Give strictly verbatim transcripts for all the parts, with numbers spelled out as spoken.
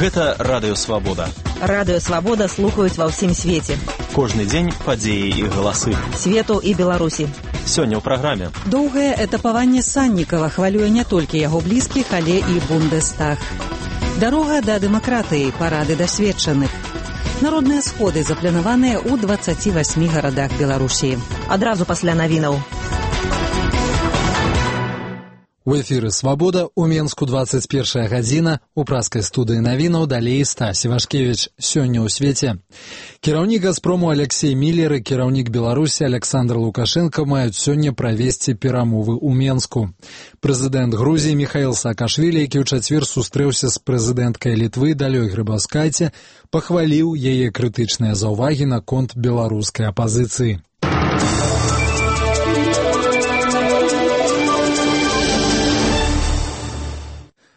Гэта Радыё Свабода. Радыё Свабода слухаюць ва ўсім свеце. Кожны дзень падзеі і галасы. Свету і Беларусі. Сёння ў праграме. Доўгае этапаванне Саннікава хвалюе не толькі яго блізкіх, але і Бундестаг. Дарога да дэмакратыі, парады дасведчаных. Народныя сходы запланаваныя ў дваццаці васьмі гарадах Беларусі. Адразу пасля навінаў. У эфіры «Свабода», у Менску двадцать первая гадзіна, у праскай студыі навінаў далей Стась Івашкевіч. Сёння ў свеце. Кіраўнік «Газпрому» Алексей Миллер і кіраўнік Беларусі Александр Лукашенко маюць сёння правесці перамовы ў Менску. Прэзідэнт Грузіі Михаил Саакашвілі, які ў чацвер сустрэўся з прэзідэнткай Літвы Далёй Грыбаўскайце, пахваліў яе крытычныя заўвагі наконт беларускай апазіцыі.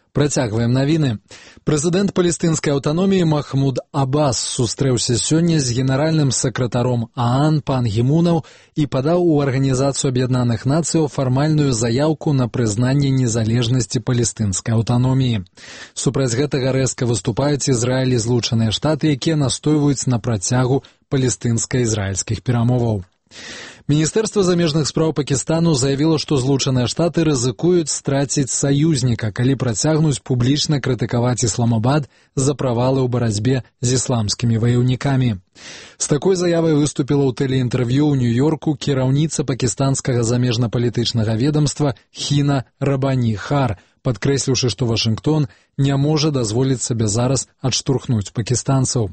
Працягваем навіны. Прэзідэнт палестынскай аўтаноміі Махмуд Аббас сустрэўся сёння з генеральным сакратаром ААН Пан Гі Мунаў і падаў у Арганізацыю Аб'яднаных Нацыяў фармальную заяўку на прызнанне незалежнасці палестынскай аўтаноміі. Супраць гэтага рэзка выступаюць Ізраіль і Злучаныя Штаты, якія настойваюць на працягу палестынска-ізраільскіх перамоваў. Міністэрства замежных спраў Пакістану заявіла, што Злучаныя Штаты рызыкуюць страціць саюзніка, калі працягнуць публічна крытыкаваць Ісламабад за правалы ў барацьбе з ісламскімі ваяўнікамі. З такой заявай выступіла ў тэлеінтэрв'ю ў Нью-Йорку кіраўніца пакістанскага замежна-палітычнага ведамства Хіна Рабані Хар, падкрэсліўшы, што Вашынгтон не можа дазволіць сабе зараз адштурхнуць пакістанцаў.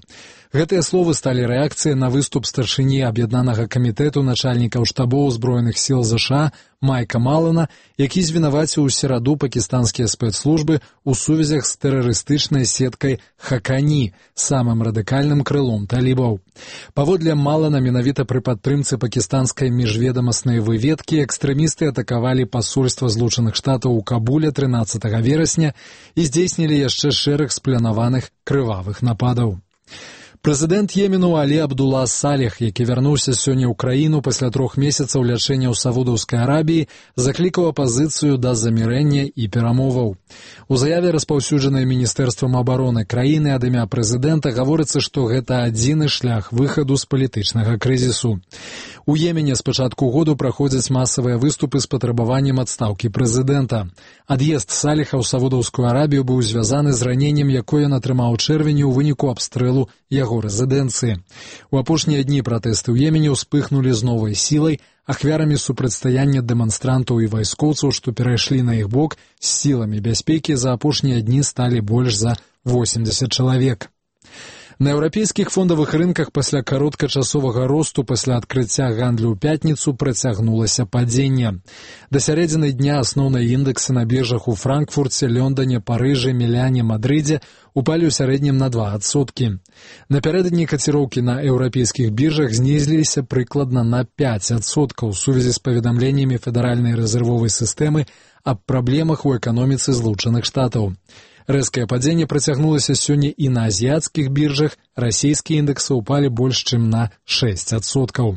Гэтыя словы сталі рэакцыяй на выступ старшыні Аб'яднанага камітэту начальнікаў штабоў узброеных сіл ЗША Майка Малана, які звінаваціў у сераду пакістанскія спецслужбы ў сувязях з тэрарыстычнай сеткай Хакані, самым радыкальным крылом талібаў. Паводле Малана, менавіта пры падтрымцы пакістанскай міжведамаснай выведкі экстрэмісты атакавалі пасольства Злучаных Штатаў у Кабуле трынаццатага верасня і здзейснілі яшчэ шэраг спланаваных крывавых нападаў. Прэзідэнт Йемену Алі Абдулла Салех, які вярнуўся сёння ў краіну пасля трох месяцаў лячэння ў Саудаўскай Арабіі, заклікаў апазіцыю да замірэння і перамоваў. У заяве, распаўсюджанай Міністэрствам абароны краіны ад імя прэзідэнта, гаворыцца, што гэта адзіны шлях выхаду з палітычнага крызісу. У Йемене з пачатку году праходзяць масавыя выступы з патрабаваннем адстаўкі прэзідэнта. Ад'езд Салеха ў Саудаўскую Арабію быў звязаны з раненнем, якое ён атрымаў у чэрвені ў выніку абстрэлу яго рэзідэнцыі. У апошнія дні пратэсты ў Йемене ўспыхнулі з новай сілай, ахвярамі супрацьстаяння дэманстрантаў і вайскоўцаў, што перайшлі на іх бок, з сіламі бяспекі за апошнія дні сталі больш за восемьдесят чалавек. На еўрапейскіх фондавых рынках пасля кароткачасовага росту пасля адкрыцця гандлю ў пятніцу працягнулася падзенне. Да сярэдзіны дня асноўныя індэксы на біржах у Франкфурце, Лондоне, Парыжы, Міляне, Мадрыдзе упалі ў сярэднім на два адсоткі. Напярэдадні каціроўкі на еўрапейскіх біржах знізіліся прыкладна на пяць адсоткаў у сувязі з паведамленнямі Федэральнай рэзервовай сістэмы аб праблемах у эканоміцы Злучаных Штатаў. Рэзкае падзенне працягнулася сёння і на азіяцкіх біржах, расійскія індэксы ўпалі больш чым на шэсць адсоткаў.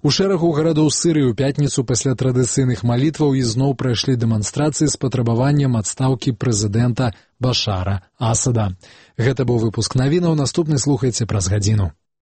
У шэрагу гарадоў Сырыі ў пятніцу пасля традыцыйных малітваў ізноў прайшлі дэманстрацыі з патрабаваннем адстаўкі прэзідэнта Башара Асада. Гэта быў выпуск навінаў, наступны слухайце праз гадзіну.